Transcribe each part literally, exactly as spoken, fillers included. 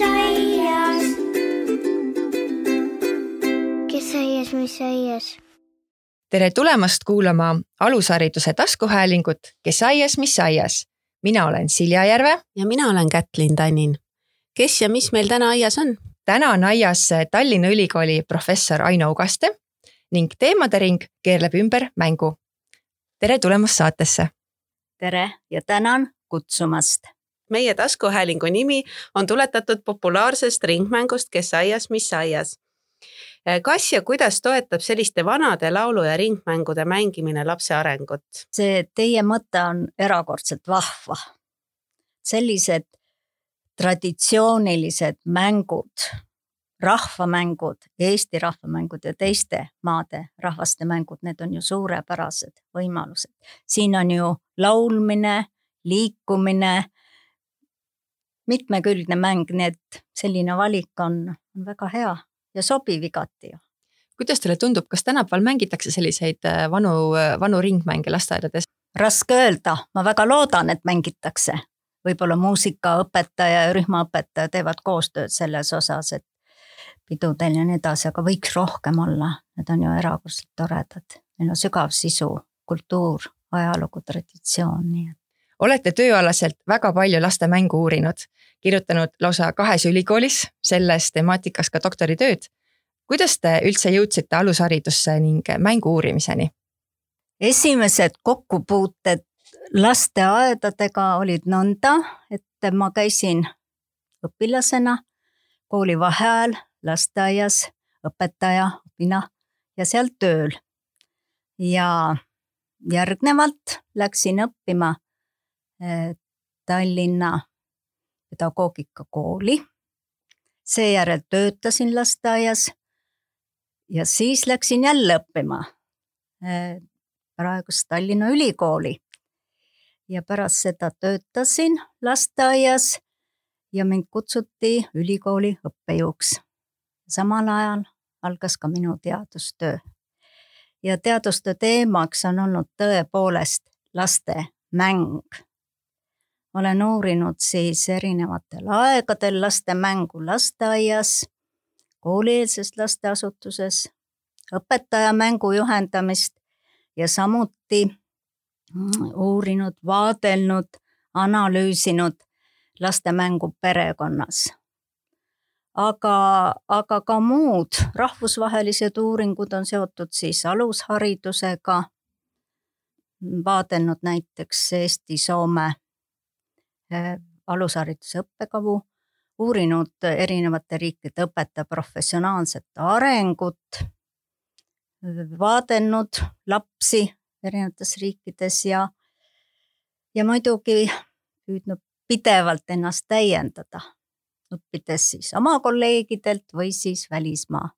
aias? Kes aias, mis aias? Tere tulemast kuulama alushariduse taskuhäälingut Kes aias, mis aias? Mina olen Silja Järve. Ja mina olen Kätlin Tannin. Kes ja mis meil täna aias on? Täna on aias Tallinna Ülikooli professor Aino Ugaste ning teemade ring keerleb ümber mängu. Tere tulemast saatesse. Tere ja tänan kutsumast. Meie taskuhäälingu nimi on tuletatud populaarsest ringmängust Kes aias, mis aias. Kas ja kuidas toetab selliste vanade laulu- ja ringmängude mängimine lapse arengut? See teie mõte on erakordselt vahva. Sellised traditsioonilised mängud, rahvamängud, Eesti rahvamängud ja teiste maade rahvaste mängud, need on ju suurepärased võimalused. Siin on ju laulmine, liikumine, mitmekülgne mäng, nii et selline valik on, on väga hea ja sobiv igati. Kuidas teile tundub, kas tänapäeval mängitakse selliseid vanu, vanu ringmänge lasteaedades? Raske öelda, ma väga loodan, et mängitakse. Võib-olla muusikaõpetaja ja rühmaõpetaja teevad koostööd selles osas, et pidudel ja nii edasi, aga võiks rohkem olla. Need on ju erakordselt toredad. Meil on sügav sisu, kultuur, ajalugu, traditsioon. Nii. Olete tööalaselt väga palju laste mängu uurinud, kirjutanud lausa kahes ülikoolis, selles temaatikas ka doktoritööd. Kuidas te üldse jõudsite alusharidusse ning mängu uurimiseni? Esimesed kokkupuuted lasteaedadega olid nõnda, et ma käisin õpilasena kooli vaheajal lasteaias, õpetaja, õpina ja seal tööl. Ja järgnevalt läksin õppima Tallinna pedagoogikakooli. Seejärel töötasin lasteaias ja siis läksin jälle õppima praegust Tallinna Ülikooli. Ja pärast seda töötasin lasteaias ja mind kutsuti ülikooli õppejõuks. Samal ajal algas ka minu teadustöö. Ja teadustöö teemaks on olnud tõepoolest laste mäng. Olen uurinud siis erinevatel aegadel laste mängu lasteaias, koolieelses lasteasutuses, õpetaja mängu juhendamist ja samuti uurinud, vaadelnud, analüüsinud laste mängu perekonnas. Aga, aga ka muud rahvusvahelised uuringud on seotud siis alusharidusega, vaadelnud näiteks Eesti-Soome alushariduse õppekavu, uurinud erinevate riikide õpetaja professionaalset arengut, vaadelnud lapsi erinevates riikides ja, ja muidugi püüdnud pidevalt ennast täiendada, õppides siis oma kolleegidelt või siis välismaa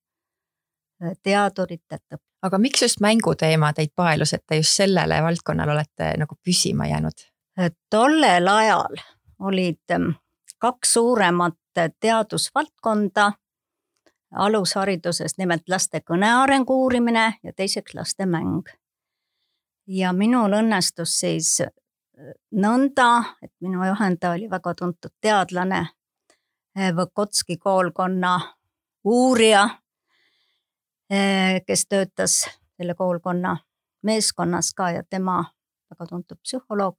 teaduritelt. Aga miks just mänguteema teid paelus, et te just sellele valdkonnal olete nagu püsima jäänud? Tollel ajal olid kaks suuremat teadusvaldkonda alushariduses, nimelt laste kõnearengu uurimine ja teiseks laste mäng. Ja minul õnnestus siis nõnda, et minu juhendaja oli väga tuntud teadlane, Võkotski koolkonna uurija, kes töötas selle koolkonna meeskonnas ka ja tema väga tuntud psühholoog.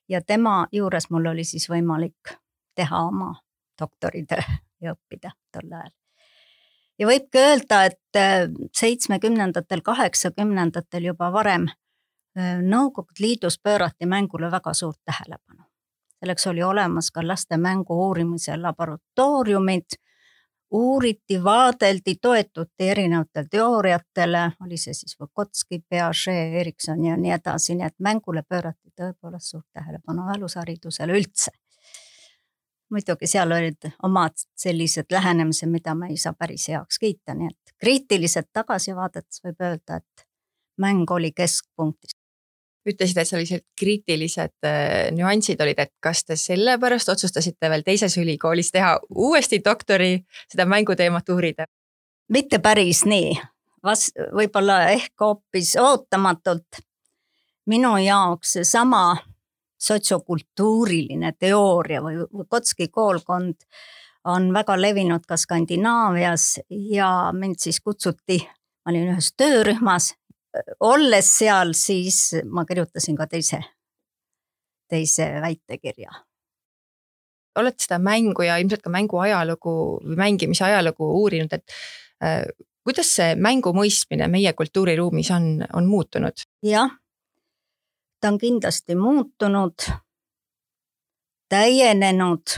Ja tema juures mul oli siis võimalik teha oma doktoritöö ja õppida tol ajal. Ja võibki öelda, et seitsmekümnendatel, kaheksakümnendatel juba varem Nõukogude Liidus pöörati mängule väga suurt tähelepanu. Selleks oli olemas ka laste mängu uurimise laboratooriumid, uuriti, vaadeldi, toetuti erinevatel teooriatele, oli see siis Võkotski, Piaget, Erikson ja nii edasi, nii et mängule pöörati tõepoolest suurt tähelepanu alusharidusele üldse. Muidugi seal olid omad sellised lähenemised, mida ma ei saa päris heaks kiita, nii et kriitiliselt tagasivaadetes võib öelda, et mäng oli keskpunktis. Ütlesid, et sellised kriitilised nüansid olid, et kas te sellepärast otsustasite veel teises ülikoolis teha uuesti doktori seda mänguteemat uurida? Mitte päris nii. Vas, võib-olla ehk hoopis ootamatult minu jaoks sama sotsiokultuuriline teooria või Võkotski koolkond on väga levinud ka Skandinaavias ja mind siis kutsuti, ma olin ühes töörühmas, olles seal, siis ma kirjutasin ka teise, teise väitekirja. Oled seda mängu ja ilmselt ka mängu ajalugu või mängimise ajalugu uurinud, et äh, kuidas see mängu mõistmine meie kultuuriruumis on, on muutunud? Jah, ta on kindlasti muutunud, täienenud,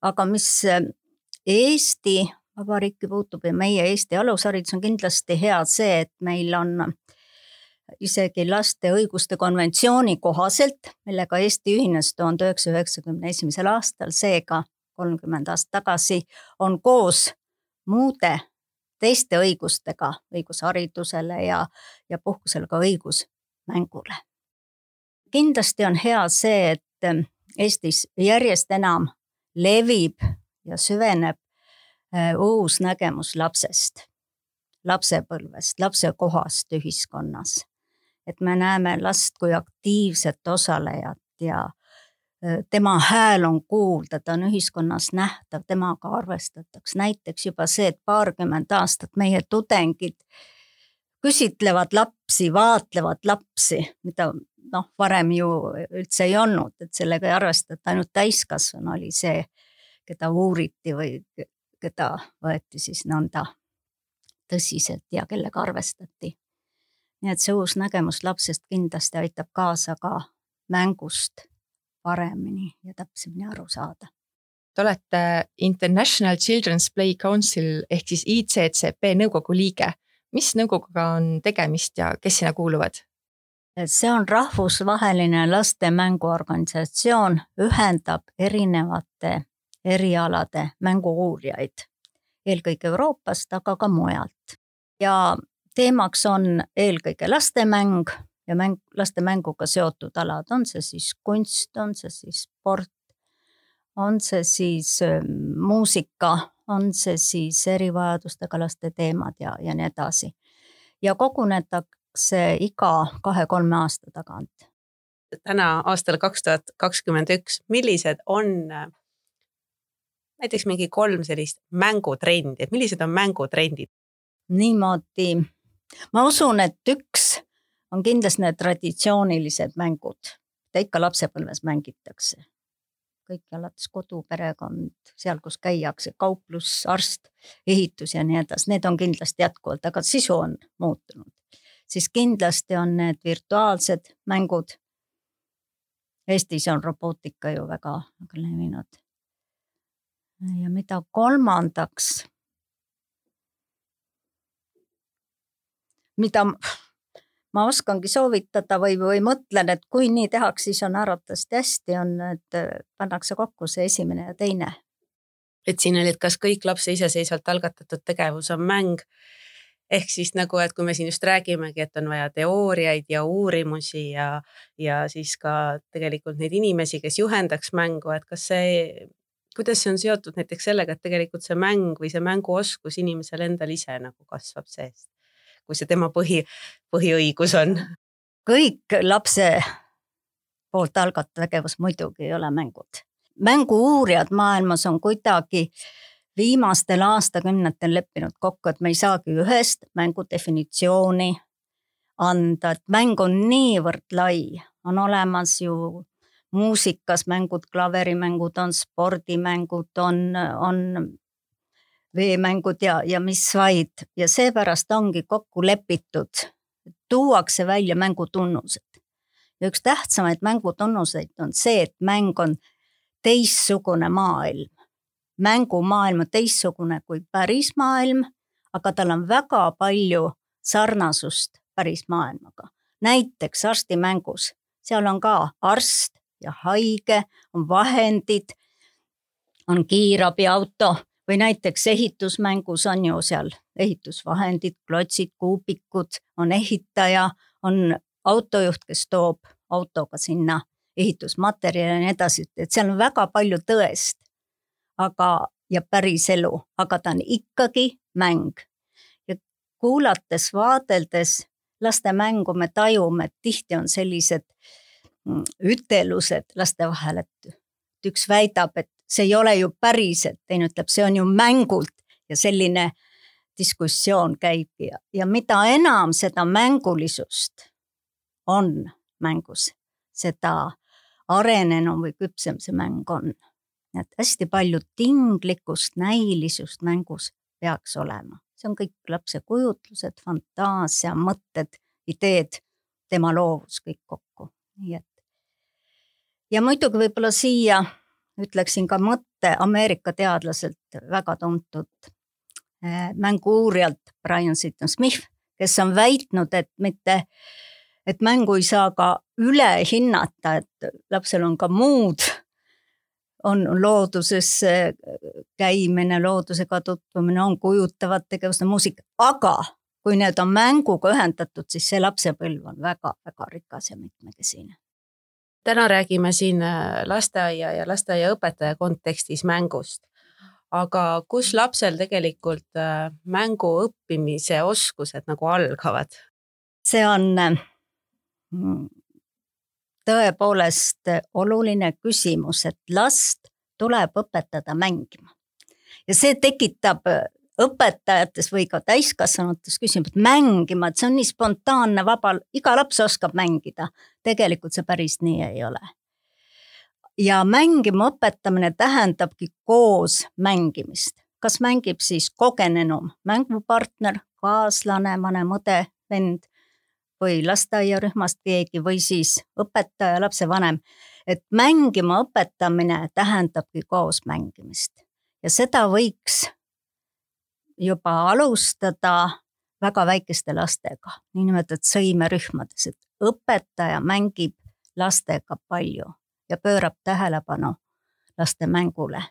aga mis Eesti Vabariiki puutub ja meie Eesti alusharidus on kindlasti hea see, et meil on isegi laste õiguste konventsiooni kohaselt, millega Eesti ühines tuhande üheksasaja üheksakümne esimesel aastal, seega kolmkümmend aastat tagasi, on koos muude teiste õigustega, õigus haridusele ja, ja puhkusele ka õigus mängule. Kindlasti on hea see, et Eestis järjest enam levib ja süveneb uus nägemus lapsest, lapsepõlvest, lapse kohast ühiskonnas. Et me näeme last kui aktiivset osalejat ja tema hääl on kuulda, ta on ühiskonnas nähtav, temaga arvestatakse. Näiteks juba see, et paarkümmend aastat meie tudengid küsitlevad lapsi, vaatlevad lapsi, mida noh, varem ju üldse ei olnud, et sellega ei arvestata, ainult täiskasvanu oli see, keda uuriti või keda võeti siis nõnda tõsiselt ja kellega arvestati. Nii et see uus nägemus lapsest kindlasti aitab kaasa ka mängust paremini ja täpsemini aru saada. Te olete International Children's Play Council ehk siis I C C P nõukogu liige. Mis nõukoguga on tegemist ja kes sinna kuuluvad? See on rahvusvaheline laste mänguorganisatsioon, ühendab erinevate erialade mängu-uurijaid, eelkõige Euroopast, aga ka mujalt. Ja teemaks on eelkõige lastemäng ja mäng, laste mänguga seotud alad, on see siis kunst, on see siis sport, on see siis muusika, on see siis erivajadustega laste teemad ja, ja nii edasi. Ja kogunetakse iga kahe-kolme aasta tagant. Täna aastal kaks tuhat kakskümmend üks, millised on näiteks mingi kolm sellist mängutrendi, et millised on mängutrendid? Niimoodi, ma usun, et üks on kindlasti need traditsioonilised mängud, mida ikka lapsepõlves mängitakse. Kõik alates kodu, perekond, seal kus käiakse, kauplus, arst, ehitus ja nii edasi, need on kindlasti jätkuvalt, aga sisu on muutunud. Siis kindlasti on need virtuaalsed mängud. Eestis on robootika ju väga, väga levinud. Ja mida kolmandaks, mida ma oskangi soovitada või, või mõtlen, et kui nii tehaks, siis on arvatavasti hästi, on, et pannakse kokku see esimene ja teine. Et siin oli, et kas kõik lapse iseseisvalt algatatud tegevus on mäng, ehk siis nagu, et kui me siin just räägimegi, et on vaja teooriaid ja uurimusi ja, ja siis ka tegelikult neid inimesi, kes juhendaks mängu, et kas see, kuidas see on seotud näiteks sellega, et tegelikult see mäng või see mänguoskus inimesel endal ise nagu kasvab seest, kui see tema põhi, põhiõigus on. Kõik lapse poolt algatatud tegevus muidugi ei ole mängud. Mängu-uurijad maailmas on kuidagi viimastel aastakümnetel leppinud kokku, et me ei saagi ühest mängu definitsiooni anda, et mäng on niivõrd lai, on olemas ju muusikas mängud, klaverimängud, on spordimängud, on, on veemängud ja, ja mis vaid. Ja seepärast ongi kokku lepitud, tuuakse välja mängutunnused. Ja üks tähtsamaid mängutunnuseid on see, et mäng on teissugune maailm. Mängumaailm on teissugune kui päris maailm, aga tal on väga palju sarnasust päris maailmaga. Näiteks arstimängus, seal on ka arst ja haige, on vahendid, on kiirabiauto või näiteks ehitusmängus on ju seal ehitusvahendid, klotsid, kuubikud, on ehitaja, on autojuht, kes toob autoga sinna ehitusmaterjali ja nii edasi, et seal on väga palju tõest, aga, ja päris elu, aga ta on ikkagi mäng. Ja kuulates, vaadeldes laste mängu me tajume, et tihti on sellised ütelused laste vahel, et üks väidab, et see ei ole ju päriselt, teine ütleb, see on ju mängult ja selline diskussioon käib ja, ja mida enam seda mängulisust on mängus, seda arenenum või küpsem see mäng on. Et hästi palju tinglikkust, näilisust mängus peaks olema. See on kõik lapse kujutlused, fantaasia, mõtted, ideed, tema loovus kõik kokku. Nii et. Ja muidugi võib-olla siia ütleksin ka mõtte Ameerika teadlaselt väga tuntud mängu-uurijalt Brian Seaton Smith, kes on väitnud, et mitte, et mängu ei saa ka üle hinnata, et lapsel on ka muud, on looduses käimine, loodusega tutvumine, on kujutavad tegevused, muusika, aga kui need on mänguga ühendatud, siis see lapsepõlv on väga, väga rikas ja mitmekesine. Täna räägime siin lasteaia ja lasteaiaõpetaja kontekstis mängust, aga kus lapsel tegelikult mängu õppimise oskused nagu algavad? See on tõepoolest oluline küsimus, et last tuleb õpetada mängima. Ja see tekitab õpetajates või ka täiskasvanutes küsimus, mängima, et see on nii spontaanne, vaba, iga laps oskab mängida. Tegelikult see päris nii ei ole. Ja mängima õpetamine tähendabki koos mängimist. Kas mängib siis kogenenum mängupartner, kaaslane, vanem õde, vend või lasteaiarühmast keegi või siis õpetaja, lapsevanem. Et mängima õpetamine tähendabki koos mängimist. Ja seda võiks juba alustada väga väikeste lastega, niinimetatud sõimerühmades, et õpetaja mängib lastega palju ja pöörab tähelepanu laste mängule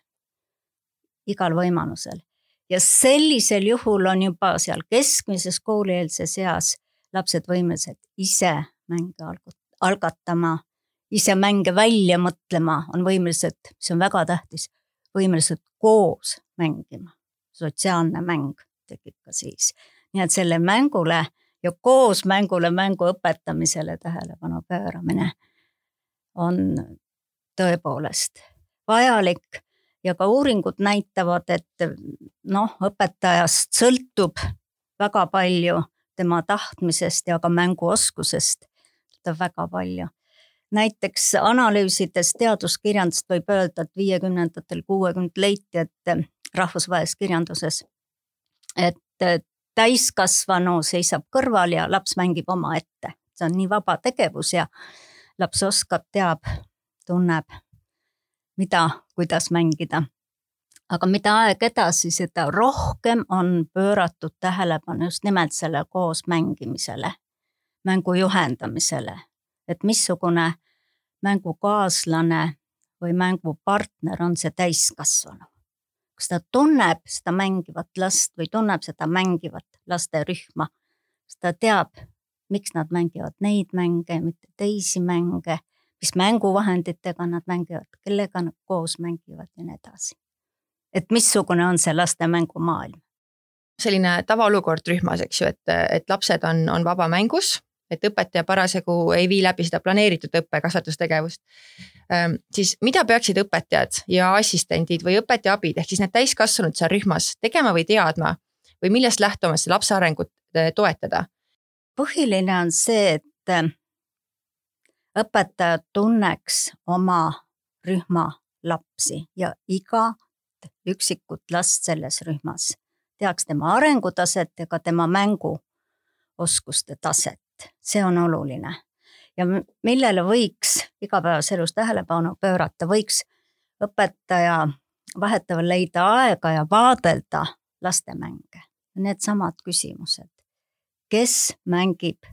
igal võimalusel. Ja sellisel juhul on juba seal keskmises koolieelses eas lapsed võimelised ise mänge algatama, ise mänge välja mõtlema, on võimelised, mis on väga tähtis, võimelised koos mängima. Sotsiaalne mäng tekib ka siis. Nii et selle mängule ja koos mängule mängu õpetamisele tähelepanu pööramine on tõepoolest vajalik ja ka uuringud näitavad, et noh, õpetajast sõltub väga palju tema tahtmisest ja ka mänguoskusest väga palju. Näiteks analüüsides teaduskirjandust võib öelda, et viiekümnendatel kuuekümnendatel leiti, et rahvusvahelises kirjanduses, et täiskasvanu seisab kõrval ja laps mängib oma ette. See on nii vaba tegevus ja laps oskab, teab, tunneb, mida, kuidas mängida. Aga mida aeg edasi, seda rohkem on pööratud tähelepanu just nimelt selle koos mängimisele, mängu juhendamisele, et missugune mängukaaslane või mängupartner on see täiskasvanu. Kas ta tunneb seda mängivat last või tunneb seda mängivat lasterühma, kas ta teab, miks nad mängivad neid mänge, mitte teisi mänge, mis mänguvahenditega nad mängivad, kellega nad koos mängivad ja nii edasi. Et missugune on see laste mängumaailm? Selline tavaolukord rühmas, eks ju, et, et lapsed on, on vaba mängus, et õpetaja parasjagu ei vii läbi seda planeeritud õppe- kasvatustegevust. Ähm, siis mida peaksid õpetajad ja assistendid või õpetaja abid, ehk siis need täiskasvanud seal rühmas tegema või teadma või millest lähtumas see lapse arengut toetada? Põhiline on see, et õpetaja tunneks oma rühma lapsi ja iga üksikut last selles rühmas teaks tema arengutaset ja ka tema mänguoskuste taset. See on oluline. Ja millele võiks igapäevas elus tähelepanu pöörata, võiks õpetaja vahetavalt leida aega ja vaadelda laste mänge. Need samad küsimused. Kes mängib,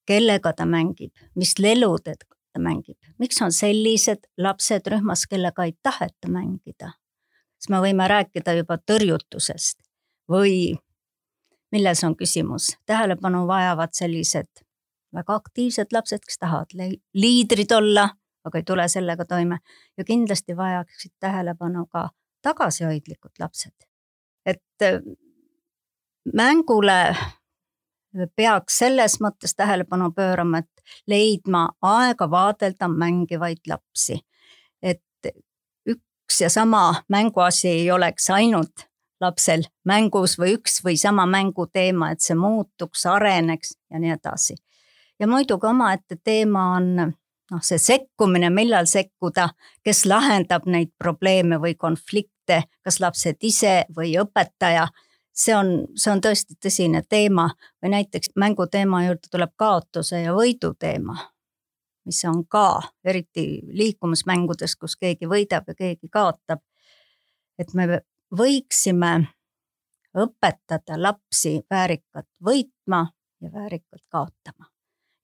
kellega ta mängib, mis leludega ta mängib, miks on sellised lapsed rühmas, kellega ei taheta mängida. Siis me võime rääkida juba tõrjutusest või milles on küsimus. Tähelepanu vajavad sellised väga aktiivsed lapsed, kes tahavad liidrid olla, aga ei tule sellega toime. Ja kindlasti vajaksid tähelepanu ka tagasihoidlikud lapsed. Et mängule peaks selles mõttes tähelepanu pöörama, et leidma aega vaadelda mängivaid lapsi. Et üks ja sama mänguasi ei oleks ainult lapsel mängus või üks või sama mänguteema, et see muutuks, areneks ja nii edasi. Ja muidugi omaette teema on noh, see sekkumine, millal sekkuda, kes lahendab neid probleeme või konflikte, kas lapsed ise või õpetaja. See on, see on tõesti tõsine teema või näiteks mänguteema juurde tuleb kaotuse ja võidu teema, mis on ka eriti liikumismängudes, kus keegi võidab ja keegi kaotab. Et me võiksime õpetada lapsi väärikat võitma ja väärikat kaotama.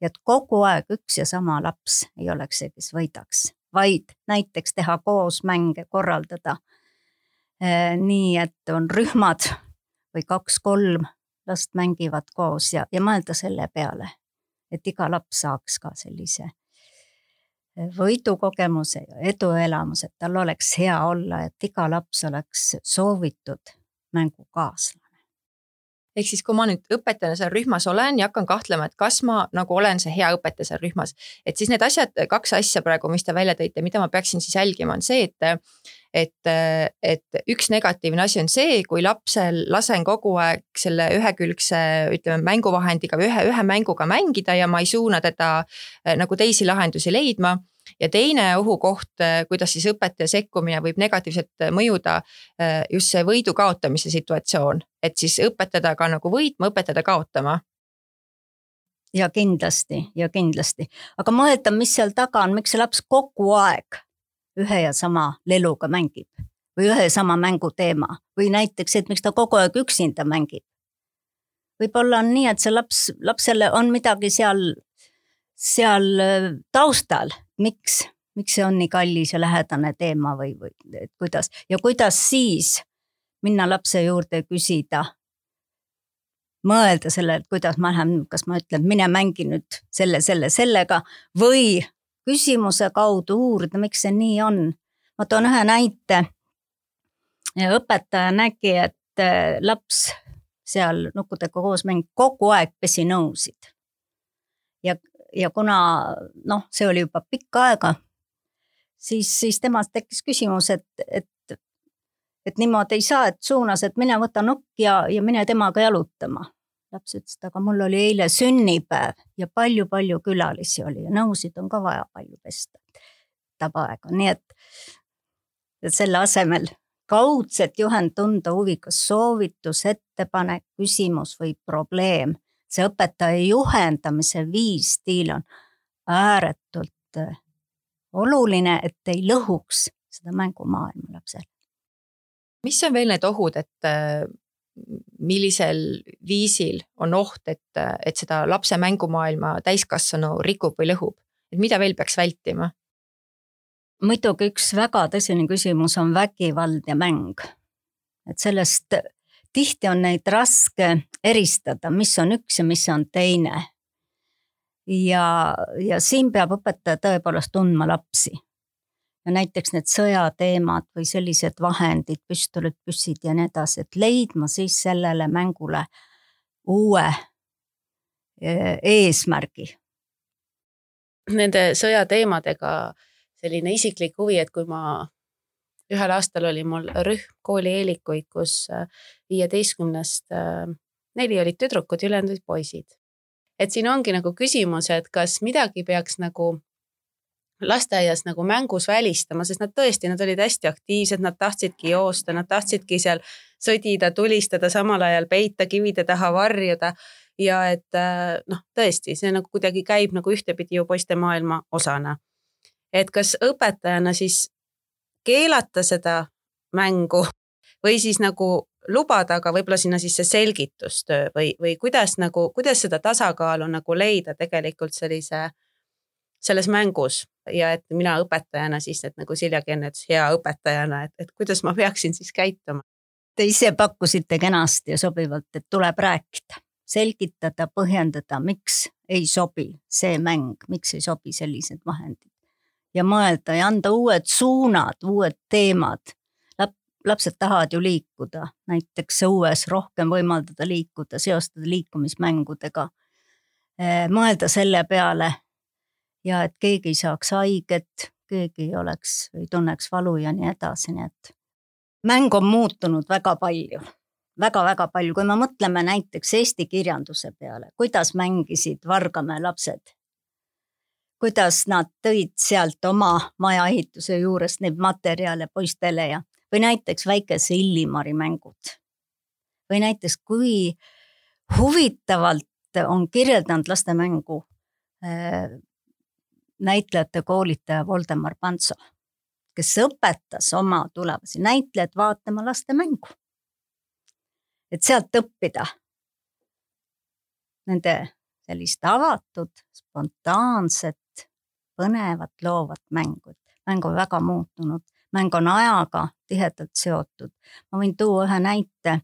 Ja et kogu aeg üks ja sama laps ei oleks see, kes võidaks, vaid näiteks teha koos mänge, korraldada eh, nii, et on rühmad või kaks-kolm last mängivad koos ja, ja mõelda selle peale, et iga laps saaks ka sellise võidukogemuse ja eduelamuse, et tal oleks hea olla, et iga laps oleks soovitud mängukaaslane. Ehk siis, kui ma nüüd õpetajana seal rühmas olen ja hakkan kahtlema, et kas ma nagu olen see hea õpetaja seal rühmas, et siis need asjad, kaks asja praegu, mis te välja tõite, mida ma peaksin siis jälgima, on see, et, et, et üks negatiivne asi on see, kui lapsel lasen kogu aeg selle ühekülgse, ütleme, mänguvahendiga või ühe, ühe mänguga mängida ja ma ei suuna teda nagu teisi lahendusi leidma. Ja teine ohukoht, kuidas siis õpetaja sekkumine võib negatiivselt mõjuda just see võidu kaotamise situatsioon, et siis õpetada ka nagu võitma, õpetada kaotama. Ja kindlasti, ja kindlasti. Aga mõelda, mis seal taga on, miks see laps kogu aeg ühe ja sama leluga mängib või ühe sama mänguteema või näiteks, et miks ta kogu aeg üksinda mängib. Võib-olla on nii, et see laps, lapsele on midagi seal, seal taustal. Miks, miks see on nii kallis ja lähedane teema või, või et kuidas ja kuidas siis minna lapse juurde küsida, mõelda selle, et kuidas ma lähen, kas ma ütlen, mine mängi nüüd selle, selle, sellega või küsimuse kaudu uurida, miks see nii on. Ma toon ühe näite. Õpetaja nägi, et laps seal nukkudega koos mängib kogu aeg pesi nõusid ja Ja kuna noh, see oli juba pikka aega, siis, siis temast tekkis küsimus, et, et, et niimoodi ei saa, et suunas, et mine võta nukk ja, ja mine temaga jalutama. Laps ütles, aga mul oli eile sünnipäev ja palju-palju külalisi oli ja nõusid on ka vaja palju pesta. Tabaega. Nii et, et selle asemel kaudset juhend tunda huvikas soovitus, ettepanek, küsimus või probleem. See õpetaja juhendamise viis stiil on ääretult oluline, et ei lõhuks seda mängumaailma lapsel. Mis on veel need ohud, et millisel viisil on oht, et, et seda lapse mängumaailma täiskasvanu rikub või lõhub? Et mida veel peaks vältima? Muidugi üks väga tõsine küsimus on vägivald ja mäng. Et sellest tihti on neid raske eristada, mis on üks ja mis on teine. Ja, ja siin peab õpetaja tõepoolest tundma lapsi. Ja näiteks need sõjateemad või sellised vahendid, püstolid, püssid ja nii edasi, et leidma siis sellele mängule uue eesmärgi. Nende sõjateemadega selline isiklik huvi, et kui ma ühel aastal oli mul rühm kooli eelikuid, kus viieteistkümnest neli olid tüdrukud ja ülejäänud olid poisid. Et siin ongi nagu küsimus, et kas midagi peaks nagu lasteaias nagu mängus välistama, sest nad tõesti, nad olid hästi aktiivsed, nad tahtsidki joosta, nad tahtsidki seal sõdida, tulistada, samal ajal peita, kivide taha varjuda ja et noh, tõesti, see nagu kuidagi käib nagu ühtepidi ju poiste maailma osana. Et kas õpetajana siis keelata seda mängu või siis nagu lubada, aga võib-olla sinna siis see selgitustöö või, või kuidas, nagu, kuidas seda tasakaalu nagu leida tegelikult sellise, selles mängus ja et mina õpetajana siis, et nagu Siljagi enne ütles hea õpetajana, et, et kuidas ma peaksin siis käituma. Te ise pakkusite kenasti ja sobivalt, et tuleb rääkida, selgitada, põhjendada, miks ei sobi see mäng, miks ei sobi sellised vahendid. Ja mõelda ja anda uued suunad, uued teemad. Lap, lapsed tahavad ju liikuda, näiteks õues rohkem võimaldada liikuda, seostada liikumismängudega. Mõelda selle peale ja et keegi ei saaks haiget, keegi ei oleks või tunneks valu ja nii edasi, nii et mäng on muutunud väga palju, väga-väga palju, kui me mõtleme näiteks eesti kirjanduse peale, kuidas mängisid Vargamäe lapsed, kuidas nad tõid sealt oma majaehituse juures neid materjale poistele ja või näiteks väikese Illimari mängud. Või näiteks kui huvitavalt on kirjeldanud lastemängu äh, näitlejate koolitaja Voldemar Pantso, kes õpetas oma tulevasi näitlejad vaatama lastemängu. Et sealt õppida nende sellist avatud, spontaanset, põnevat, loovat mängut. Mäng on väga muutunud. Mäng on ajaga tihedalt seotud. Ma võin tuua ühe näite.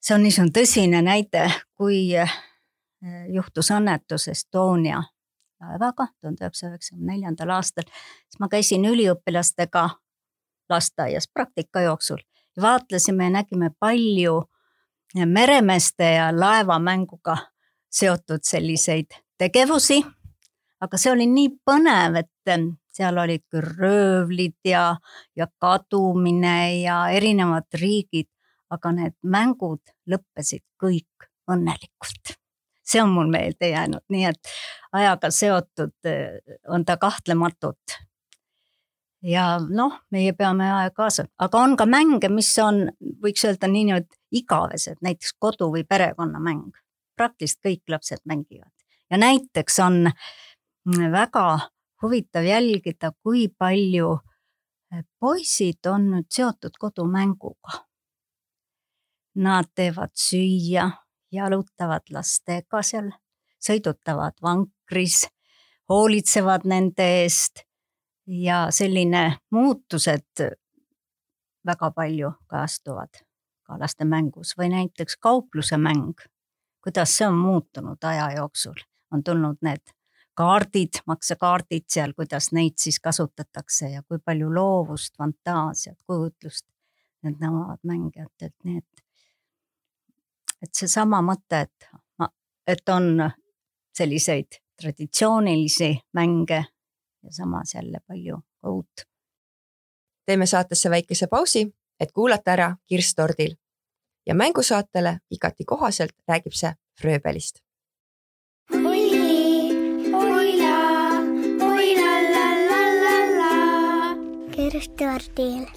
See on niisugune tõsine näide, kui juhtus õnnetus Estonia laevaga tuhande üheksasaja üheksakümne neljandal aastal. Siis ma käisin üliõpilastega lasteaias praktika jooksul ja vaatlesime ja nägime palju meremeeste ja laevamänguga seotud selliseid tegevusi, aga see oli nii põnev, et seal olid küll röövlid ja, ja kadumine ja erinevad riigid, aga need mängud lõppesid kõik õnnelikult. See on mul meelde jäänud, nii et ajaga seotud on ta kahtlematult. Ja noh, meie peame aja kaasa, aga on ka mänge, mis on, võiks öelda nii nüüd igavesed, näiteks kodu- või perekonnamäng. Praktiliselt kõik lapsed mängivad. Ja näiteks on väga huvitav jälgida, kui palju poisid on nüüd seotud kodumänguga. Nad teevad süüa, jalutavad lastega seal, sõidutavad vankris, hoolitsevad nende eest ja selline muutused väga palju kajastuvad ka laste mängus või näiteks kaupluse mäng, kuidas see on muutunud aja jooksul. On tulnud need kaardid, maksekaardid seal, kuidas neid siis kasutatakse ja kui palju loovust, fantaasiat, kujutlust need nõuavad mängijatelt, nii et et see sama mõte, et, et on selliseid traditsioonilisi mänge ja samas jälle palju uut. Teeme saatesse väikese pausi, et kuulata ära Kirstordil ja mängusaatele igati kohaselt räägib see Fröbelist. Oi, oila, oila, la, la, la, la. Kirstordil.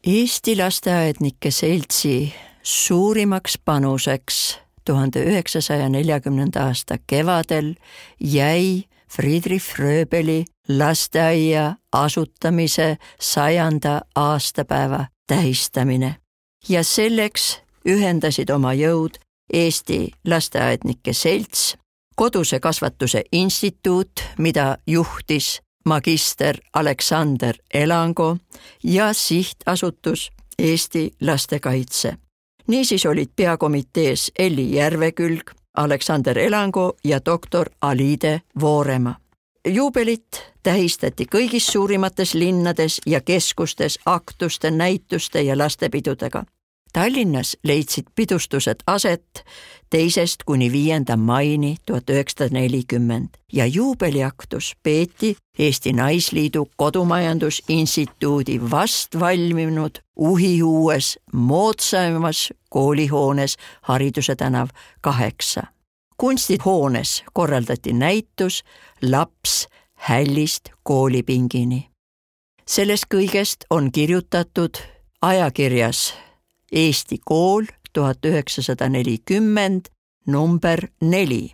Eesti lasteaednike seltsi suurimaks panuseks tuhande üheksasaja neljakümnenda aasta kevadel jäi Friedrich Fröbeli lasteaia asutamise sajanda aastapäeva tähistamine ja selleks ühendasid oma jõud Eesti lasteaednike selts, Koduse kasvatuse instituut, mida juhtis magister Aleksander Elango ja sihtasutus Eesti lastekaitse. Niisiis olid peakomitees Elli Järvekülg, Aleksander Elango ja doktor Alide Voorema. Juubelit tähistati kõigis suurimates linnades ja keskustes aktuste, näituste ja lastepidudega. Tallinnas leidsid pidustused aset teisest kuni viienda maini tuhat üheksasada nelikümmend ja juubeliaktus peeti Eesti Naisliidu Kodumajandusinstituudi vast valminud uhiuues moodsaimas koolihoones Hariduse tänav kaheksa. Kunstihoones korraldati näitus Laps hällist koolipingini. Sellest kõigest on kirjutatud ajakirjas Eesti kool tuhat üheksasada nelikümmend number neli,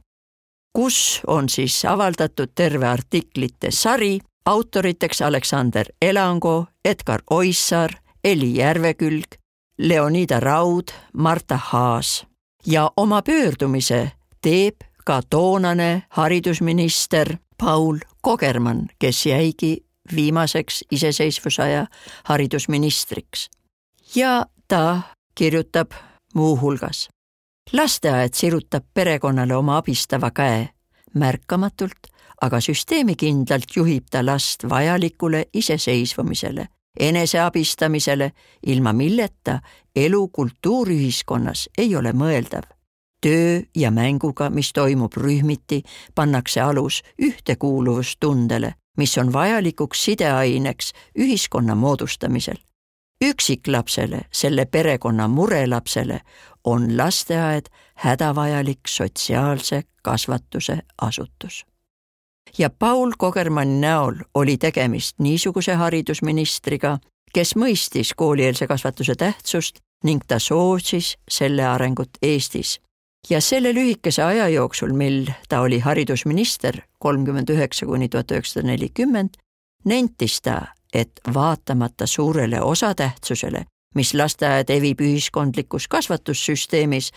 kus on siis avaldatud terve artiklite sari, autoriteks Aleksander Elango, Edgar Oissaar, Elli Järvekülg, Leonida Raud, Marta Haas ja oma pöördumise teeb ka toonane haridusminister Paul Kogermann, kes jäigi viimaseks iseseisvusaja haridusministriks. Ja ta kirjutab muu hulgas. Lasteaed sirutab perekonnale oma abistava käe. Märkamatult, aga süsteemikindlalt juhib ta last vajalikule iseseisvumisele, eneseabistamisele, ilma milleta elu kultuuriühiskonnas ei ole mõeldav. Töö ja mänguga, mis toimub rühmiti, pannakse alus ühtekuuluvustundele mis on vajalikuks sideaineks ühiskonna moodustamisel. Üksiklapsele, selle perekonna murelapsele on lasteaed hädavajalik sotsiaalse kasvatuse asutus. Ja Paul Kogermanni näol oli tegemist niisuguse haridusministriga, kes mõistis koolieelse kasvatuse tähtsust ning ta soosis selle arengut Eestis. Ja selle lühikese aja jooksul, mil ta oli haridusminister kolmkümmend üheksa kuni tuhat üheksasada nelikümmend, nentis ta, et vaatamata suurele osatähtsusele, mis lasteaed evib ühiskondlikus kasvatussüsteemis,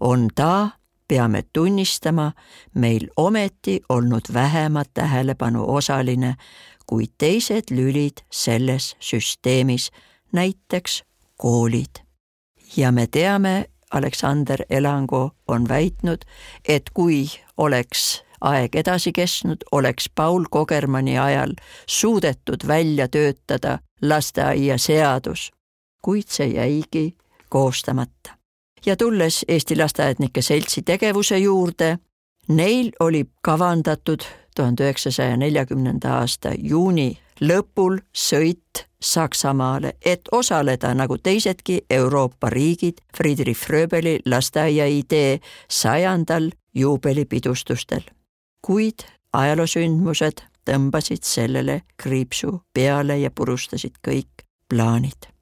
on ta, peame tunnistama, meil ometi olnud vähema tähelepanu osaline kui teised lülid selles süsteemis, näiteks koolid. Ja me teame, Aleksander Elango on väitnud, et kui oleks aeg edasi kestnud, oleks Paul Kogermanni ajal suudetud välja töötada lasteaia seadus, kuid see jäigi koostamata. Ja tulles Eesti Lasteaednike Seltsi tegevuse juurde, neil oli kavandatud tuhande üheksasaja neljakümnenda aasta juuni lõpul sõit Saksamaale, et osaleda nagu teisedki Euroopa riigid Friedrich Fröbeli lasteaia idee sajandal juubelipidustustel. Kuid ajaloosündmused tõmbasid sellele kriipsu peale ja purustasid kõik plaanid.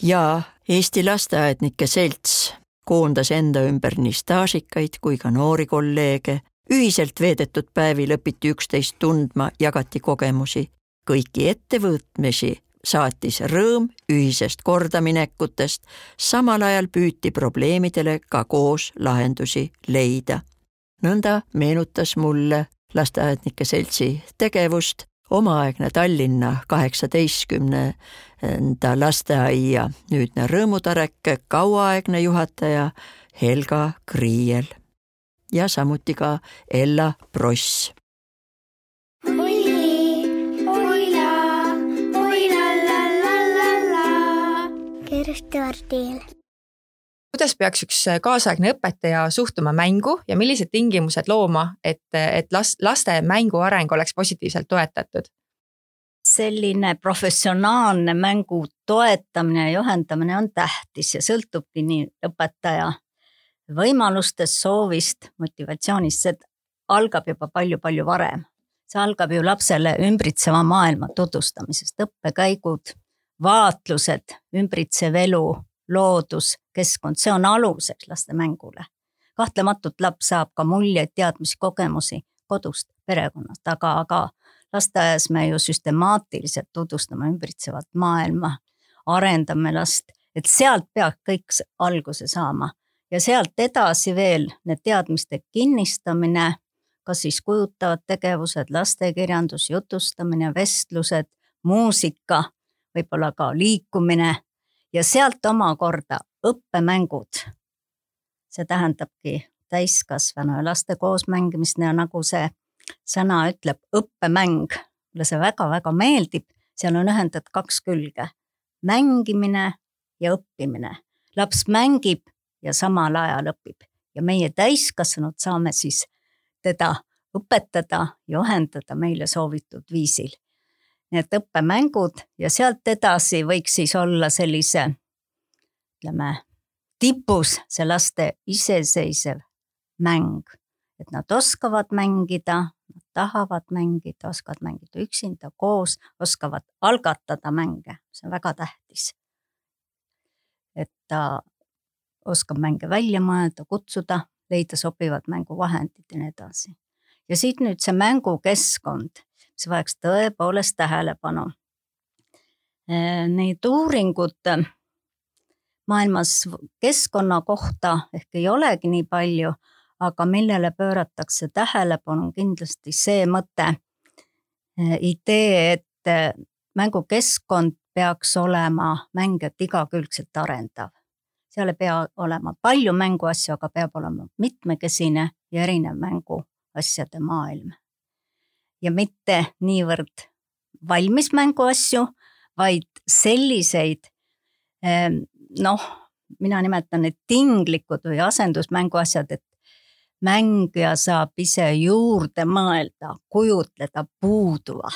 Ja Eesti Lasteaednike Selts koondas enda ümber nii staažikaid kui ka noori kolleege, ühiselt veedetud päevi lõpiti üksteist tundma, jagati kogemusi, kõiki ettevõtmisi saatis rõõm ühisest kordaminekutest, samal ajal püüti probleemidele ka koos lahendusi leida. Nõnda meenutas mulle Lasteaednike Seltsi tegevust omaaegne Tallinna kaheksateistkümnenda lasteaia nüüdne Rõõmutarek, kauaaegne juhataja Helga Kriiel ja samuti ka Ella Pross. Kuidas peaks üks kaasaegne õpetaja suhtuma mängu ja millised tingimused looma, et, et laste mängu areng oleks positiivselt toetatud? Selline professionaalne mängu toetamine ja juhendamine on tähtis ja sõltubki nii õpetaja võimalustest, soovist, motivatsioonist. See algab juba palju-palju varem. See algab ju lapsele ümbritseva maailma tutvustamisest, õppekäigud, vaatlused, ümbritsev elu, loodus, keskkond, see on aluseks laste mängule. Kahtlematult laps saab ka muljeid, teadmisi, kogemusi kodust, perekonnast, aga, aga lasteaias me ju süstemaatiliselt tutvustame ümbritsevat maailma, arendame last, et sealt peab kõik alguse saama ja sealt edasi veel need teadmiste kinnistamine, kas siis kujutavad tegevused, lastekirjandus, jutustamine, vestlused, muusika, võib-olla ka liikumine ja sealt omakorda õppemängud. See tähendabki täiskasvanu ja laste koos mängimist ja nagu see sõna ütleb, õppemäng. Mulle see väga-väga meeldib, seal on ühendatud kaks külge. Mängimine ja õppimine. Laps mängib ja samal ajal õpib ja meie täiskasvanud saame siis teda õpetada, juhendada meile soovitud viisil. Need õppemängud ja sealt edasi võiks siis olla sellise, ütleme, tipus see laste iseseisev mäng, et nad oskavad mängida, nad tahavad mängida, oskavad mängida üksinda, koos, oskavad algatada mänge, see on väga tähtis. Et ta oskab mänge välja mõelda, kutsuda, leida sobivad mänguvahendid ja nii edasi. Ja siit nüüd see mängukeskkond, see vajaks tõepoolest tähelepanu. Neid uuringud maailmas keskkonna kohta ehk ei olegi nii palju, aga millele pööratakse tähelepanu kindlasti see mõte, idee, et mängukeskkond peaks olema mängijat igakülgselt arendav. Seal ei pea olema palju mänguasju, aga peab olema mitmekesine ja erinev mänguasjade maailm. Ja mitte niivõrd valmis mänguasju, vaid selliseid, noh, mina nimetan need tinglikud või asendusmänguasjad, et mängija saab ise juurde mõelda, kujutleda puuduva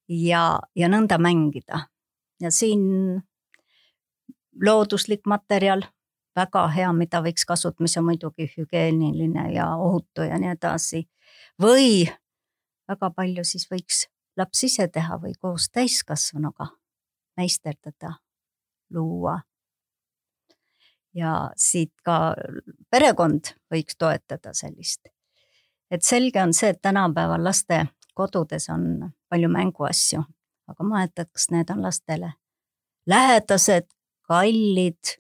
ja, ja nõnda mängida. Ja siin looduslik materjal, väga hea, mida võiks kasutada, mis on muidugi hügieeniline ja ohutu ja nii edasi. Või väga palju siis võiks laps ise teha või koos täiskasvanuga meisterdada, luua. Ja siit ka perekond võiks toetada sellist. Et selge on see, et tänapäeval laste kodudes on palju mänguasju, aga ma mõtlen, et kas need on lastele lähedased, kallid,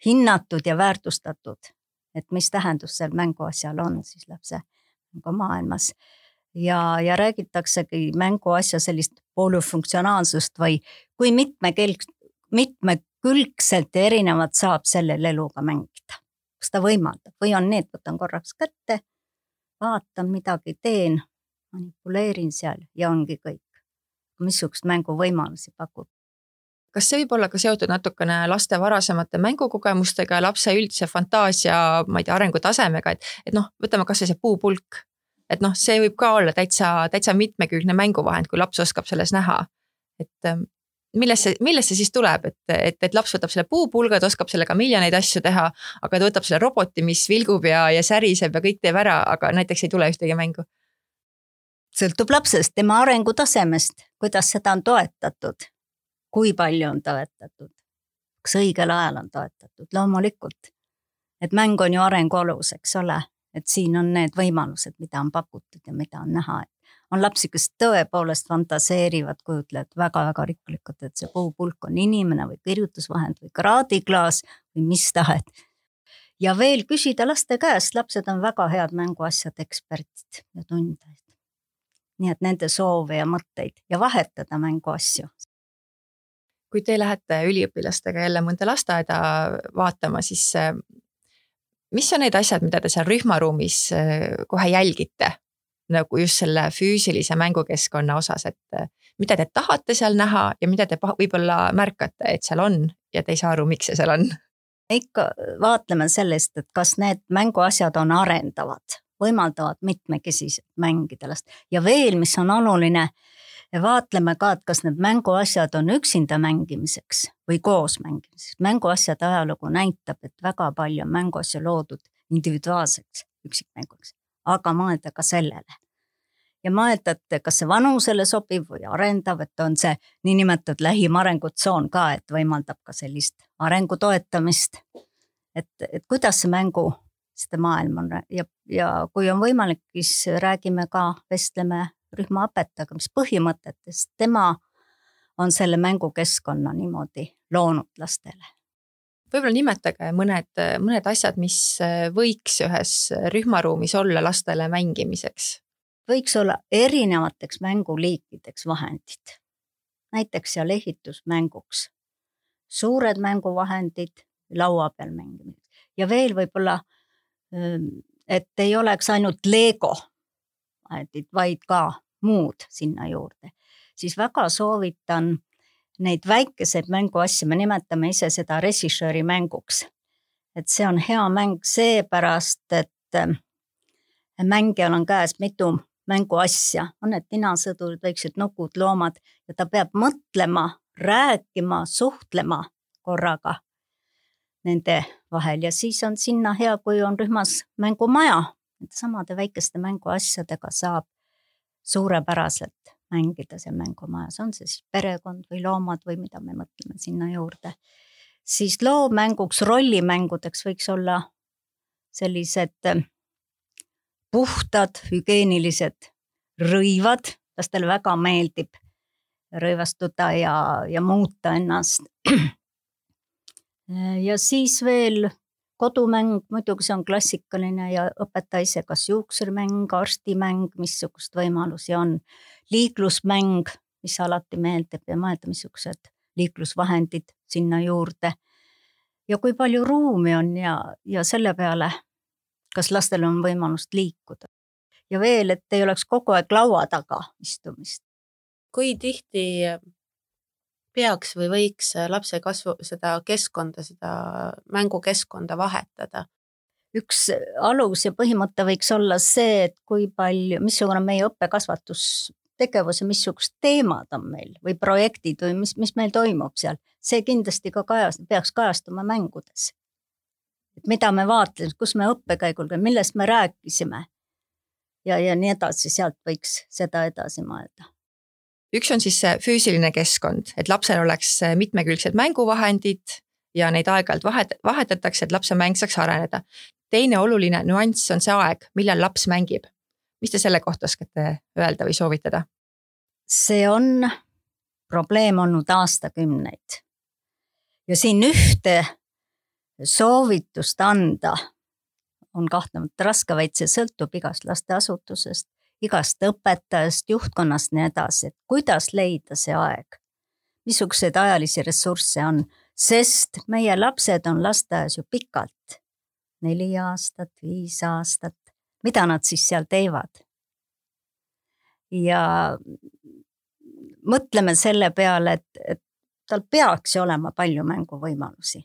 hinnatud ja väärtustatud, et mis tähendus seal mänguasjal on siis lapse maailmas. Ja, ja räägitaksegi mänguasja sellist polüfunktsionaalsust või kui mitmekelg, mitmekülgselt ja erinevat saab sellel eluga mängida. Kas ta võimaldab või on need, võtan korraks kätte, vaatan midagi, teen, manipuleerin seal ja ongi kõik. Missugust mänguvõimalusi pakub. Kas see võib olla ka seotud natukene laste varasemate mängukogemustega ja lapse üldse fantaasia, ma ei tea, arengutasemega, et, et noh, võtame kas või see puupulk, et noh, see võib ka olla täitsa, täitsa mitmekülgne mänguvahend, kui laps oskab selles näha. Et millest see, millest see siis tuleb, et, et, et laps võtab selle puupulga, ta oskab sellega miljoneid asju teha, aga ta võtab selle roboti, mis vilgub ja, ja säriseb ja kõik teeb ära, aga näiteks ei tule ühtegi mängu. Sõltub lapsest, tema arengutasemest, kuidas seda on toetatud, kui palju on toetatud, kas õigel ajal on toetatud, loomulikult. Et mäng on ju arengu alus, eks ole, et siin on need võimalused, mida on pakutud ja mida on näha. On lapsi, kes tõepoolest fantaseerivad, kujutlevad väga-väga rikkalikult, et see puupulk on inimene või kirjutusvahend või kraadiklaas või mis tahet. Ja veel küsida laste käest, lapsed on väga head mänguasjad eksperdid ja tundajad. Nii et nende soove ja mõtteid ja vahetada mänguasju. Kui te lähete üliõpilastega jälle mõnda lasteaeda vaatama, siis mis on need asjad, mida te seal rühmaruumis kohe jälgite? Nagu just selle füüsilise mängukeskkonna osas, et mida te tahate seal näha ja mida te võib-olla märkate, et seal on ja te ei saa aru, miks see seal on? Ikka vaatleme sellest, et kas need mänguasjad on arendavad, võimaldavad mitmekesiselt mängida last. Ja veel, mis on oluline, vaatleme ka, et kas need mänguasjad on üksinda mängimiseks või koos mängimiseks. Mänguasjade ajalugu näitab, et väga palju on mänguasju loodud individuaalseks üksikmänguks, aga mõelda ka sellele. Ja mõelda, et kas see vanusele sobib või arendav, et on see niinimetatud lähim arengutsoon ka, et võimaldab ka sellist arengu toetamist, et, et kuidas see mängu seda maailm on ja, ja kui on võimalik, siis räägime ka, vestleme rühmaõpetajaga, mis põhimõtetest tema on selle mängukeskkonna niimoodi loonud lastele. Võib-olla nimetage mõned, mõned asjad, mis võiks ühes rühmaruumis olla lastele mängimiseks. Võiks olla erinevateks mänguliikideks vahendid. Näiteks seal ehitusmänguks. Suured mänguvahendid laua peal mängimiseks. Ja veel võib-olla, et ei oleks ainult Lego, vaid ka muud sinna juurde. Siis väga soovitan neid väikeseid mänguasju, me nimetame ise seda režissööri mänguks. Et see on hea mäng seepärast, et mängijal on käes mitu mänguasja, on need ninasõdurid, väiksed nukud, loomad ja ta peab mõtlema, rääkima, suhtlema korraga nende vahel ja siis on sinna hea, kui on rühmas mängumaja. Samade väikeste mänguasjadega saab suurepäraselt mängida seal mängumajas, on see siis perekond või loomad või mida me mõtleme sinna juurde. Siis loomänguks, rollimängudeks võiks olla sellised puhtad, hügieenilised rõivad, lastele väga meeldib rõivastuda ja, ja muuta ennast. Ja siis veel kodumäng, muidugi see on klassikaline ja õpetaja ise, kas juuksurimäng, arstimäng, missugust võimalusi on, liiklusmäng, mis alati meeldib ja mõelda, missugused liiklusvahendid sinna juurde. Ja kui palju ruumi on ja, ja selle peale, kas lastel on võimalust liikuda. Ja veel, et ei oleks kogu aeg laua taga istumist. Kui tihti peaks või võiks lapse kasvu seda keskkonda, seda mängukeskkonda vahetada? Üks alus ja põhimõte võiks olla see, et kui palju, missugune meie õppekasvatus tegevus ja missugused teemad on meil või projektid või mis, mis meil toimub seal, see kindlasti ka kajast, peaks kajastuma mängudes. Et mida me vaatleme, kus me õppekäigul, millest me rääkisime ja, ja nii edasi, sealt võiks seda edasi mõelda. Üks on siis see füüsiline keskkond, et lapsel oleks mitmekülgsed mänguvahendid ja neid aeg-ajalt vahet, vahetatakse, et lapse mäng saaks areneda. Teine oluline nüanss on see aeg, millal laps mängib. Mis te selle kohta oskate öelda või soovitada? See on probleem olnud aastakümneid. Ja siin ühte soovitust anda on kahtlemata raske, vaid see sõltub igast lasteasutusest, igast õpetajast, juhtkonnast nii edasi, et kuidas leida see aeg, missugused ajalisi ressursse on, sest meie lapsed on lasteaias ju pikalt, neli aastat, viis aastat, mida nad siis seal teevad. Ja mõtleme selle peale, et, et tal peaks olema palju mänguvõimalusi.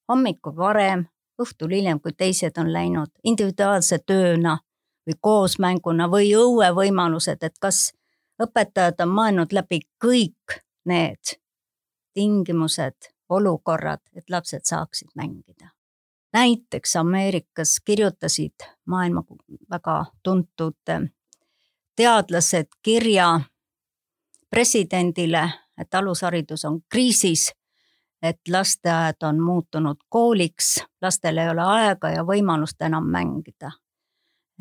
Hommikul varem, õhtul hiljem, kui teised on läinud individuaalse tööna või koosmänguna või õuevõimalused, et kas õpetajad on mõelnud läbi kõik need tingimused, olukorrad, et lapsed saaksid mängida. Näiteks Ameerikas kirjutasid maailma väga tuntud teadlased kirja presidendile, et alusharidus on kriisis, et lasteaed on muutunud kooliks, lastel ei ole aega ja võimalust enam mängida.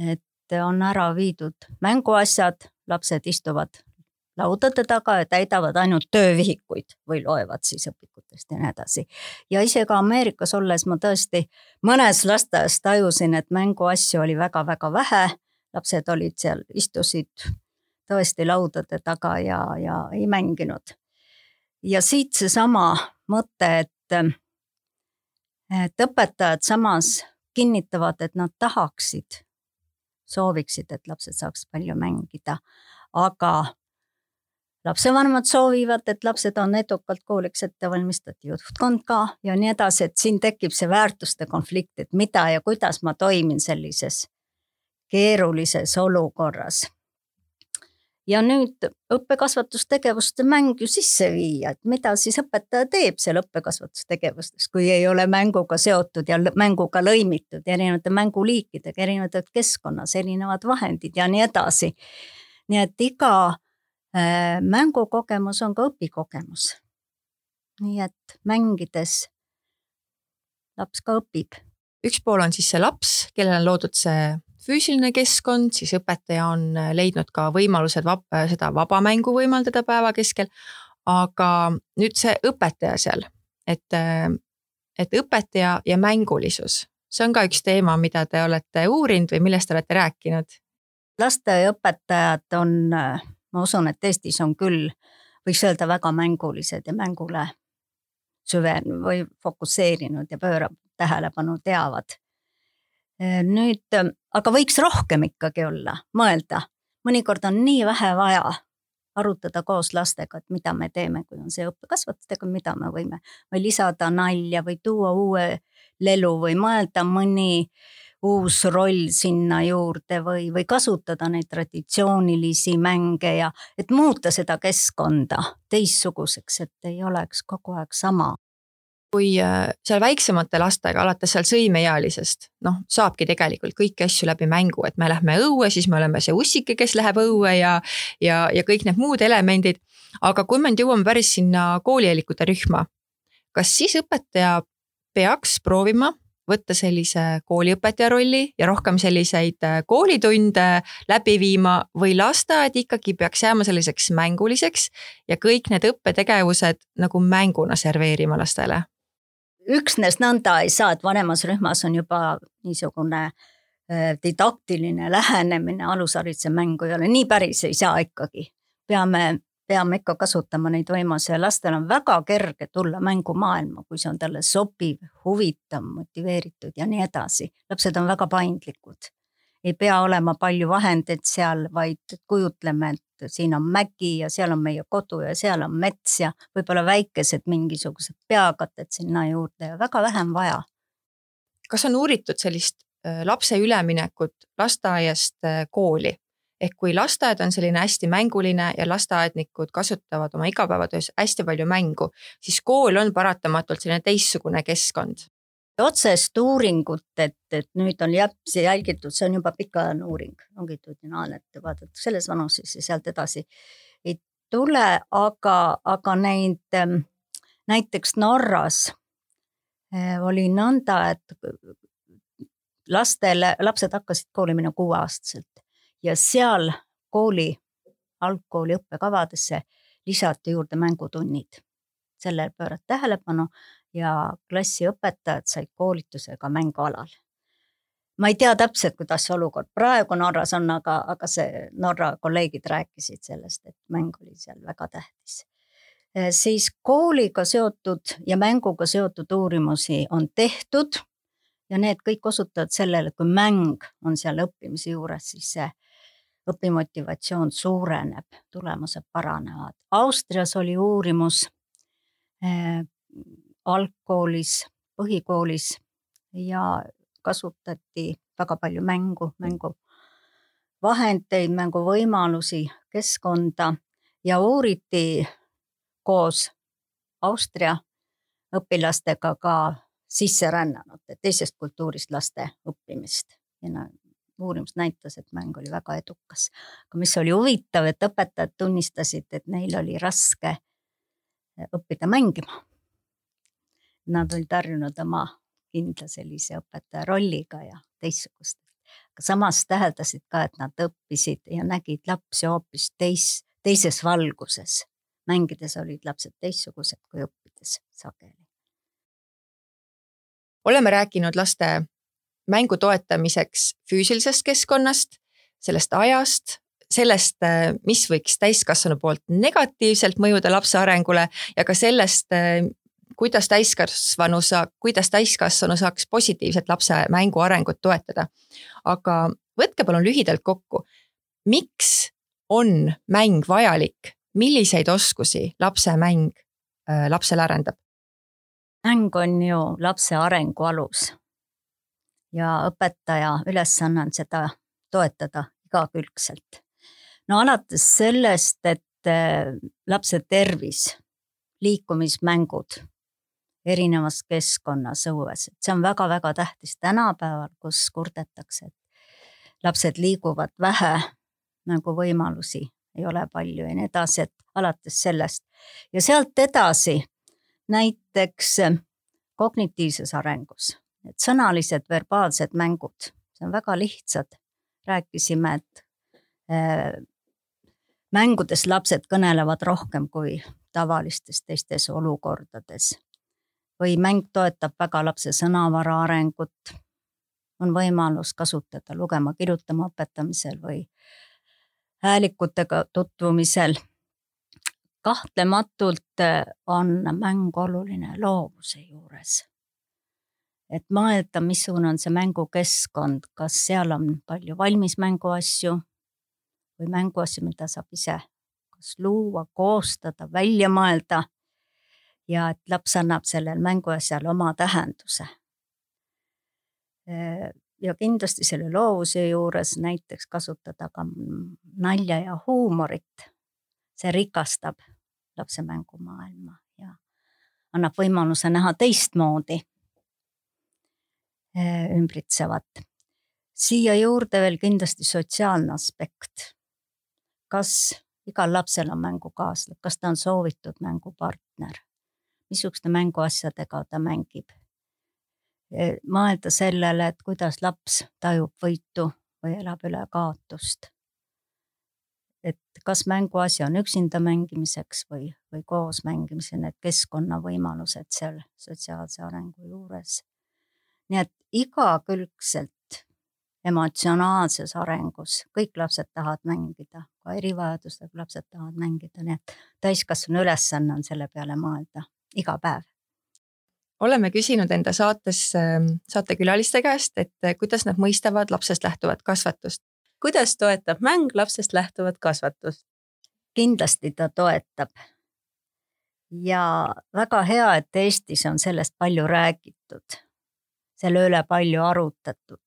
Et on ära viidud mänguasjad, lapsed istuvad laudade taga ja täidavad ainult töövihikuid või loevad siis õpikutest ja nii edasi. Ja ise ka Ameerikas olles ma tõesti mõnes lasteaias tajusin, et mänguasju oli väga-väga vähe, lapsed olid seal, istusid tõesti laudade taga ja, ja ei mänginud. Ja siit see sama mõte, et, et õpetajad samas kinnitavad, et nad tahaksid, sooviksid, et lapsed saaks palju mängida, aga lapsevanemad soovivad, et lapsed on edukalt kooliks ette valmistatud, juhtkond ka ja nii edasi, et siin tekib see väärtuste konflikt, et mida ja kuidas ma toimin sellises keerulises olukorras. Ja nüüd õppekasvatustegevuste mäng ju sisse viia, et mida siis õpetaja teeb seal õppekasvatustegevustes, kui ei ole mänguga seotud ja mänguga lõimitud, erinevate mänguliikidega, erinevad keskkonnas, erinevad vahendid ja nii edasi. Nii et iga äh, mängukogemus on ka õpikogemus. Nii et mängides laps ka õpib. Üks pool on siis see laps, kellel on loodud see füüsiline keskkond, siis õpetaja on leidnud ka võimalused vab, seda vabamängu võimaldada päeva keskel, aga nüüd see õpetaja seal, et, et õpetaja ja mängulisus, see on ka üks teema, mida te olete uurinud või millest te olete rääkinud? Lasteaiaõpetajad on, ma usun, et Eestis on küll, võiks öelda väga mängulised ja mängule süven või fokusseerinud ja pöörab tähelepanu teavad. Nüüd, aga võiks rohkem ikkagi olla, mõelda. Mõnikord on nii vähe vaja arutada koos lastega, et mida me teeme, kui on see õppekasvatustega, mida me võime või lisada nalja või tuua uue lelu või mõelda mõni uus roll sinna juurde või, või kasutada neid traditsioonilisi mänge ja et muuta seda keskkonda teistsuguseks, et ei oleks kogu aeg sama. Kui seal väiksemate lastega, alates seal sõimeealisest, noh, saabki tegelikult kõiki asju läbi mängu, et me lähme õue, siis me oleme see ussike, kes läheb õue ja, ja, ja kõik need muud elemendid. Aga kui me jõuame päris sinna koolieelikute rühma, kas siis õpetaja peaks proovima võtta sellise kooliõpetaja rolli ja rohkem selliseid koolitunde läbi viima või lasteaed ikkagi peaks jääma selliseks mänguliseks ja kõik need õppetegevused nagu mänguna serveerima lastele? Üksnes nõnda ei saa, et vanemas rühmas on juba niisugune didaktiline lähenemine, alushariduse mängu ei ole, nii päris ei saa ikkagi. Peame, peame ikka kasutama neid võimalusi ja lastel on väga kerge tulla mängumaailma, kui see on talle sobiv, huvitav, motiveeritud ja nii edasi. Lapsed on väga paindlikud. Ei pea olema palju vahendeid seal, vaid kujutleme, et siin on mägi ja seal on meie kodu ja seal on mets ja võib-olla väikesed mingisugused peakated sinna juurde ja väga vähem vaja. Kas on uuritud sellist lapse üleminekut lasteaiast kooli? ehk kui lasteaed on selline hästi mänguline ja lasteaednikud kasutavad oma igapäevatöös hästi palju mängu, siis kool on paratamatult selline teistsugune keskkond. Otsest uuringut, et, et nüüd on lapsi jälgitud, see on juba pikaajaline uuring, longitudinaalne, et vaadatakse selles vanuses ja sealt edasi ei tule, aga, aga neid näiteks Norras oli nõnda, et lastele, lapsed hakkasid kooli minna kuueaastaselt ja seal kooli, algkooli õppekavadesse lisati juurde mängutunnid. Sellel pöörad tähelepanu ja klassiõpetajad said koolitusega mängualal. Ma ei tea täpselt, kuidas see olukord praegu Norras on, aga, aga see Norra kolleegid rääkisid sellest, et mäng oli seal väga tähtis. Siis kooliga seotud ja mänguga seotud uurimusi on tehtud ja need kõik osutavad sellele, kui mäng on seal õppimise juures, siis see õpimotivatsioon suureneb, tulemused paranevad. Austrias oli uurimus eh, algkoolis, põhikoolis ja kasutati väga palju mängu, mängu vahendeid, mänguvõimalusi, keskkonda ja uuriti koos Austria õpilastega ka sisserännanud, teisest kultuurist laste õppimist. Ja uurimus näitas, et mäng oli väga edukas. Aga mis oli huvitav, et õpetajad tunnistasid, et neil oli raske õppida mängima. Nad olid harjunud oma kindla sellise õpetaja rolliga ja teistsugust. Aga samas täheldasid ka, et nad õppisid ja nägid lapsi hoopis teis, teises valguses. Mängides olid lapsed teistsugused kui õppides sageli. Oleme rääkinud laste mängu toetamiseks füüsilisest keskkonnast, sellest ajast, sellest, mis võiks täiskasvanu poolt negatiivselt mõjuda lapse arengule ja ka sellest, kuidas täiskasvanu, saa, kuidas täiskasvanu saaks positiivselt lapse mängu arengut toetada. Aga võtke palun lühidalt kokku, miks on mäng vajalik, milliseid oskusi lapse mäng äh, lapsele arendab? Mäng on ju lapse arengu alus ja õpetaja ülesanne on seda toetada igakülgselt. No alates sellest, et lapse tervis, liikumismängud erinevas keskkonnas õues, et see on väga-väga tähtis tänapäeval, kus kurdetakse, et lapsed liiguvad vähe, nagu võimalusi ei ole palju ja nii edasi, et alates sellest. Ja sealt edasi näiteks kognitiivses arengus, et sõnalised verbaalsed mängud, see on väga lihtsad. Rääkisime, et äh, mängudes lapsed kõnelevad rohkem kui tavalistes teistes olukordades. Või mäng toetab väga lapse sõnavara arengut, on võimalus kasutada lugema, kirjutama õpetamisel või häälikutega tutvumisel. Kahtlematult on mäng oluline loovuse juures. Et mõelda, missugune on see mängukeskkond, kas seal on palju valmis mänguasju või mänguasju, mida saab ise kas luua, koostada, välja mõelda ja et laps annab sellel mänguasjal oma tähenduse. Ja kindlasti selle loovuse juures näiteks kasutada ka nalja ja huumorit. See rikastab lapse mängumaailma ja annab võimaluse näha teistmoodi ümbritsevat. Siia juurde veel kindlasti sotsiaalne aspekt. Kas igal lapsel on mängukaaslased, kas ta on soovitud mängupartner, missuguste mänguasjadega ta mängib. Mõelda sellele, et kuidas laps tajub võitu või elab üle kaotust. Et kas mänguasi on üksinda mängimiseks või, või koos mängimise, need keskkonnavõimalused seal sotsiaalse arengu juures. Nii et igakülgselt emotsionaalses arengus kõik lapsed tahavad mängida, ka erivajadustega lapsed tahavad mängida, nii et täiskasvanu ülesanne on selle peale mõelda iga päev. Oleme küsinud enda saates saatekülaliste käest, et kuidas nad mõistavad lapsest lähtuvat kasvatust. Kuidas toetab mäng lapsest lähtuvat kasvatust? Kindlasti ta toetab. Ja väga hea, et Eestis on sellest palju räägitud. Selle üle palju arutatud.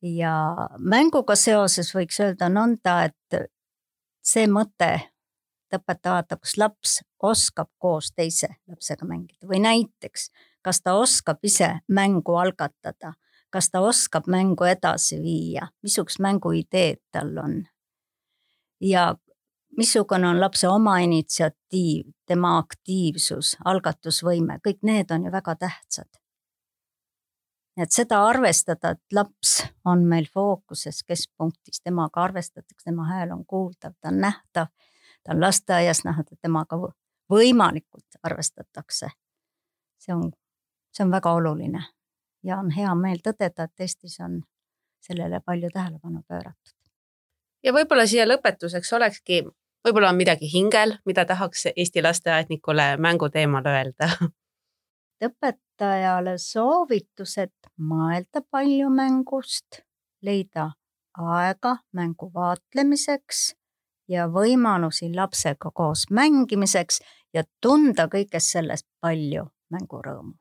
ja mänguga seoses võiks öelda nõnda, et see mõte, et õpetaja vaatab, kas laps oskab koos teise lapsega mängida või näiteks, kas ta oskab ise mängu algatada, kas ta oskab mängu edasi viia, missugused mänguideed tal on ja missugune on lapse oma initsiatiiv, tema aktiivsus, algatusvõime, kõik need on ju väga tähtsad. Et seda arvestada, et laps on meil fookuses keskpunktis, temaga arvestatakse, tema hääl on kuuldav, ta on nähtav, ta on lasteaias nähtud, et temaga võimalikult arvestatakse. See on, see on väga oluline ja on hea meel tõdeda, et Eestis on sellele palju tähelepanu pööratud. Ja võib-olla siia lõpetuseks olekski, võib-olla on midagi hingel, mida tahaks Eesti lasteaednikule mängu teemal öelda. Õpetajale soovitused mõelda palju mängust, leida aega mängu vaatlemiseks ja võimalusi lapsega koos mängimiseks ja tunda kõigest sellest palju mängurõõmu.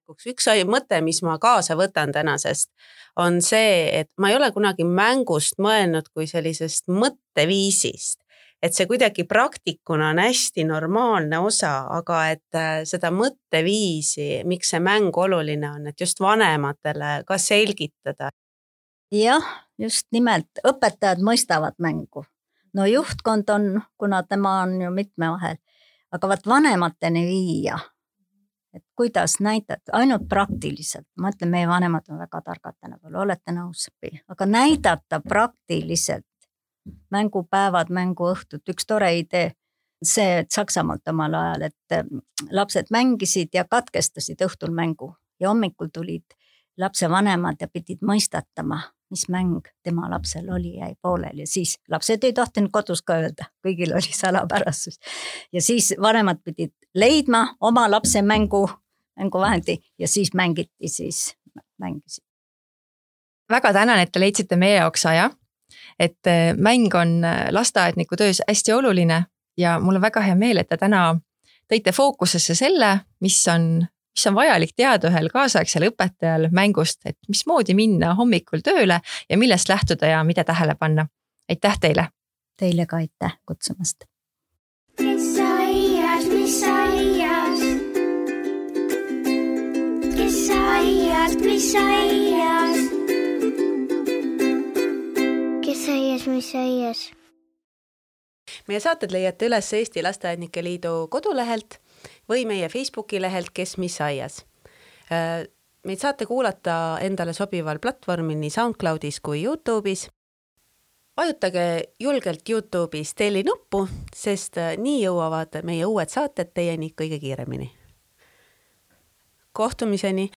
Üks mõte, mis ma kaasa võtan tänasest, on see, et ma ei ole kunagi mängust mõelnud kui sellisest mõtteviisist, et see kuidagi praktikuna on hästi normaalne osa, aga et seda mõtteviisi, miks see mäng oluline on, et just vanematele ka selgitada. Jah, just nimelt õpetajad mõistavad mängu. No juhtkond on, kuna tema on ju mitme vahel, aga vaat vanemateni viia. Et kuidas näidata, ainult praktiliselt, ma ütlen, meie vanemad on väga targad tänapäeval, olete nõus, aga näidata praktiliselt mängupäevad, mänguõhtud, üks tore idee, see, et Saksamaalt omal ajal, et lapsed mängisid ja katkestasid õhtul mängu ja hommikul tulid lapse vanemad ja pidid mõistatama, mis mäng tema lapsel oli, jäi poolel ja siis lapsed ei tohtinud kodus ka öelda, kõigil oli salapärasus ja siis vanemad pidid leidma oma lapse mängu, mänguvahendi ja siis mängiti, siis mängisid. Väga tänan, et te leidsite meie jaoks aja, et mäng on lasteaedniku töös hästi oluline ja mul on väga hea meel, et te täna tõite fookusesse selle, mis on, mis on vajalik teada ühel kaasaegsel õpetajal mängust, et mismoodi minna hommikul tööle ja millest lähtuda ja mida tähele panna. Aitäh teile! Teile ka aitäh kutsumast! Mis aias, mis aias? Kes aias, mis aias? Kes aias, mis aias? Meie saated leiate üles Eesti Lasteaednike Liidu kodulehelt või meie Facebooki lehelt Kes mis aias. Meid saate kuulata endale sobival platvormil nii SoundCloudis kui YouTube'is. Vajutage julgelt YouTube'is telli nuppu, sest nii jõuavad meie uued saated teieni kõige kiiremini. Kohtumiseni!